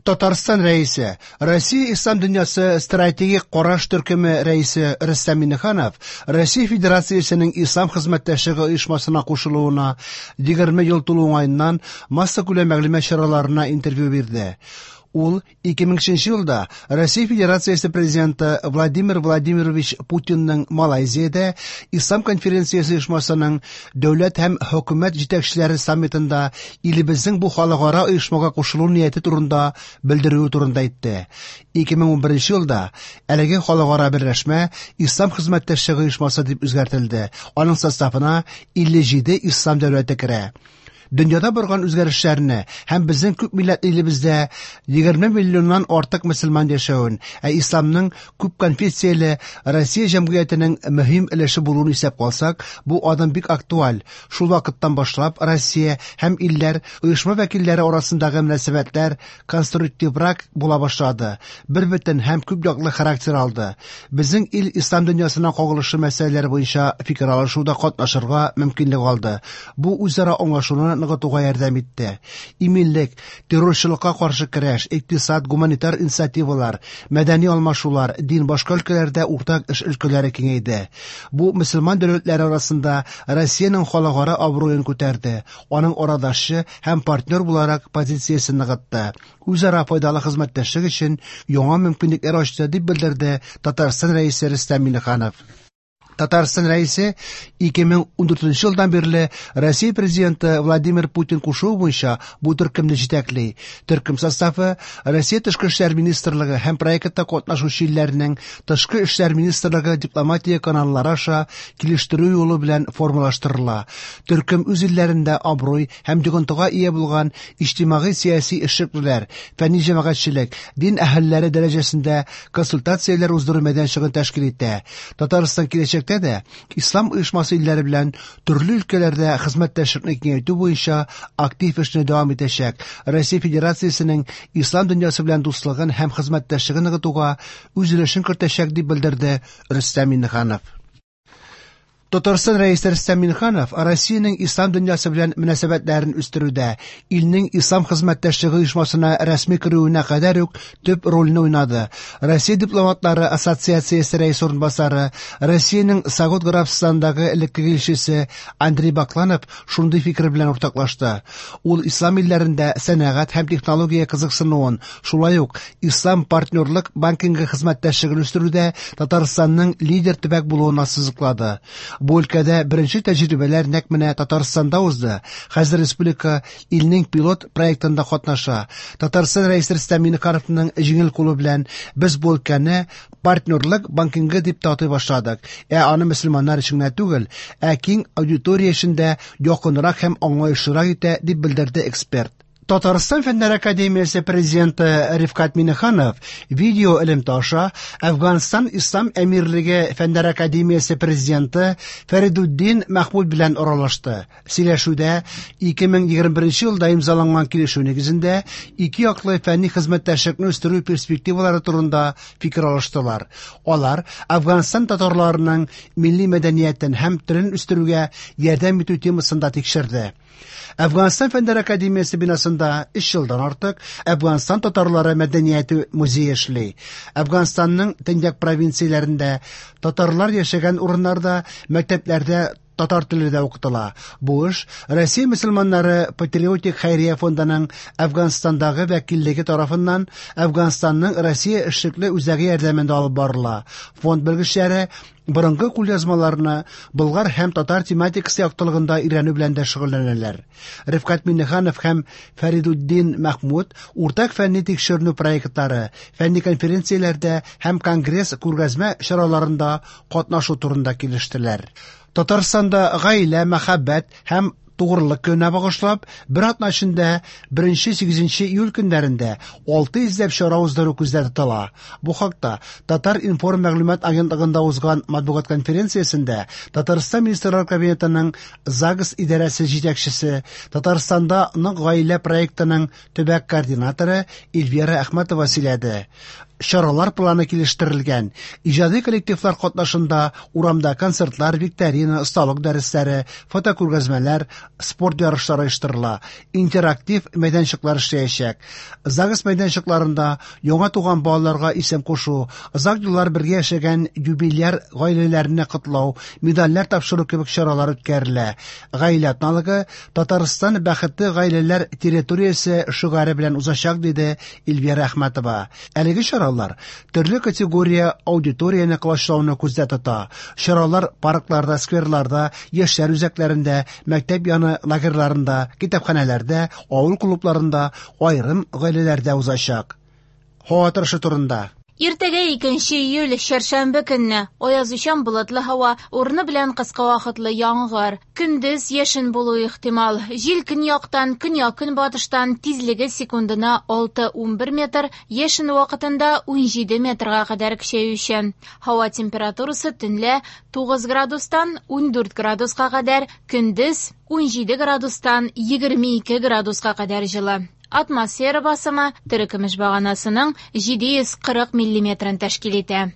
Татарстан Рәисе, Россия Ислам дөньясы стратегик караш төркеме рәисе Рөстәм Миңнеханов Россия Федерациясенең Ислам хезмәттәшлеге оешмасына кушылуына 20 ел тулу уңаеннан массакүләм мәгълүмат чараларына интервью бирде. Ул 2003 елда Россия Федерациясе Президенты Владимир Владимирович Путинның Малайзиядә Ислам конференциясе оешмасының дәүләт һәм хөкүмәт җитәкчеләре саммитында илебезнең бу халыкара оешмага кушылу нияте турында белдерүе турында әйтте. 2011 елда әлеге халыкара берләшмә Ислам хезмәттәшлеге оешмасы дип үзгәртелде. Аның составына 57 ислам дәүләте керә. Дөньяда барган үзгәрешләрне һәм безнең күп милләтле илебездә 20 миллионнан артык мөселман яшәвен, ә исламның күп конфессияле Россия җәмгыятенең мөһим өлеше булуын исәпкә алсак, бу адым бик актуаль. Шул вакыттан башлап Россия һәм илләр оешма вәкилләре арасындагы мөнәсәбәтләр конструктиврак була башлады, бербөтен һәм күп яклы характер алды. Безнең ил ислам дөньясына кагылышлы мәсьәләләр буенча фикер алышуда катнашырга мөмкинлек алды. Бу үзара аңлашуны ныгытуга ярдәм итте. Иминлек, террорчылыкка каршы көрәш, икътисад, гуманитар инициативалар, мәдәни алмашулар, дин башка өлкәләрдә уртак эш өлкәләре киңәйде. Бу мөселман дәүләтләре арасында Россиянең халыкара абруен күтәрде, аның арадашчы һәм партнер буларак позициясен ныгытты. Үзара файдалы хезмәттәшлек өчен яңа мөмкинлекләр ачты, дип белдерде Татарстан Рәисе Рөстәм Миңнеханов. Татарстан Рәисе 2014 елдан бирле Россия Президенты Владимир Путин кушуы буенча бу төркемне җитәкли. Төркем составы Россия Тышкы эшләр министрлыгы һәм проектта катнашучы илләрнең Тышкы эшләр министрлыгы дипломатия каналлары аша килештерү юлы белән формалаштырыла. Төркем үз илләрендә абруй һәм йогынтыга ия булган иҗтимагый-сәяси эшлеклеләр, фәнни җәмәгатьчелек, дин әһелләре дәрәҗәсендә консультацияләр уздыру мәйданчыгын тәшкил итә. Татарстан киләчәктә дә Ислам оешмасы илләре белән төрле өлкәләрдә хезмәттәшлекне киңәйтү буенча актив эшне дәвам итәчәк. Россия Федерациясенең ислам дөньясы белән дуслыгын һәм хезмәттәшлеген ныгытуга үз өлешен кертәчәк, дип белдерде Рөстәм Миңнеханов. Татарстан Рәисе Рөстәм Миңнеханов Россиянең ислам дөньясы белән мөнәсәбәтләрен үстерүдә илнең Ислам хезмәттәшлеге оешмасына рәсми керүенә кадәр үк төп рольне уйнады. Россия дипломатлары ассоциациясе рәисе урынбасары, Россиянең Согуд Гарәбстанындагы элеккеге илчесе Андрей Бакланов шундый фикер белән уртаклашты. Ул ислам илләрендә сәнәгать һәм технология кызыксынуын, шулай ук Ислам партнерлык банкингы хезмәттәшлеген үстерүдә Татарстанның лидер төбәк булуын ассызыклады. Бу өлкәдә беренче тәҗрибәләр нәкъ менә Татарстанда узды. Хәзер республика илнең пилот проектында катнаша. Татарстан Рәисе Рөстәм Миңнехановның җиңел кулы белән без бу өлкәне партнерлык банкингы дип тә атый башладык. Ә аны мөселманнар өчен генә түгел, ә киң аудитория өчен дә якынрак һәм аңлаешлырак итә, дип белдерде эксперт. Татарстан Фәннәр академиясе президенты Рифкать Миңнеханов видео элемтә аша Әфганстан Ислам Әмирлеге Фәннәр академиясе президенты Фәридуддин Мәхмүд белән аралашты. Сөйләшүдә 2021 елда имзаланган килешү нигезендә ике яклы фәнни хезмәттәшлекне үстерү перспективалары турында фикер алыштылар. Алар Әфганстан татарларының милли мәдәниятен һәм телен үстерүгә ярдәм итү темасын да тикшерде. Әфганстан Фәннәр академиясе бинасында 3 елдан артык Әфганстан татарлары мәдәнияте музее эшли. Әфганстанның төньяк провинцияләрендә татарлар яшәгән урыннарда мәктәпләрдә татар теле дә укытыла. Бу эш Россия мөселманнары патриотик хәйрия фондының Әфганстандагы вәкиллеге тарафыннан Әфганстанның Россия эшлекле үзәге ярдәмендә алып барыла. Фонд белгечләре борынгы кулъязмаларны болгар һәм татар тематикасы яктылыгында өйрәнү белән дә шөгыльләнәләр. Рифкать Миңнеханов һәм Фәридуддин Мәхмүд уртак фәнни тикшеренү проектлары, фәнни конференцияләрдә һәм конгресс күргәзмә чараларында катнашу турында килештеләр. Татарстанда гаилә, мәхәббәт һәм тугрылык көненә багышлап, бер атна эчендә 1-8 июль көннәрендә 600 ләп чара уздыру күздә тотыла. Бу хакта Татар-информ мәгълүмат агентлыгында узган матбугат конференциясендә Татарстан Министрлар Кабинетының ЗАГС идарәсе җитәкчесе, Татарстанда нык гаилә проектының төбәк координаторы Эльвира Әхмәтова сөйләде. Чаралар планы килештерелгән. Иҗади коллективлар катнашында урамда концертлар, викторина, осталык дәресләре, фотокүргәзмәләр, спорт ярышлары оештырыла, интерактив мәйданчыклар эшләячәк. ЗАГС мәйданчыкларында яңа туган балаларга исем кушу, озак еллар бергә яшәгән юбиляр гаиләләрне котлау, медальләр тапшыру кебек чаралар үткәрелә. Гаилә атналыгы Татарстан бәхетле гаиләләр территориясе шигаре белән узачак, диде Эльвира Әхмәтова. Әлеге чаралар төрле категория аудиторияне колачлауны күздә тота. Чаралар паркларда, скверларда, яшьләр үзәкләрендә, мәктәп яны лагерьларында, китапханәләрдә, авыл клубларында, аерым гаиләләрдә узачак. Һава торышы турында. Иртәгә 2 июль, чәршәмбе көнне аязучан болытлы һава, урыны белән кыска вакытлы яңгыр. Көндез яшен булуы ихтимал. Җил көньяктан, көньяк-көнбатыштан, тизлеге секундына 6-11 метр, яшен вакытында 17 метрга кадәр көчәючән. Һава температурасы төнлә 9 градустан 14 градуска кадәр, көндез 17 градустан 22 градуска кадәр җылы. Атмосфера басымы терекөмеш баганасының 740 миллиметрын тәшкил итә.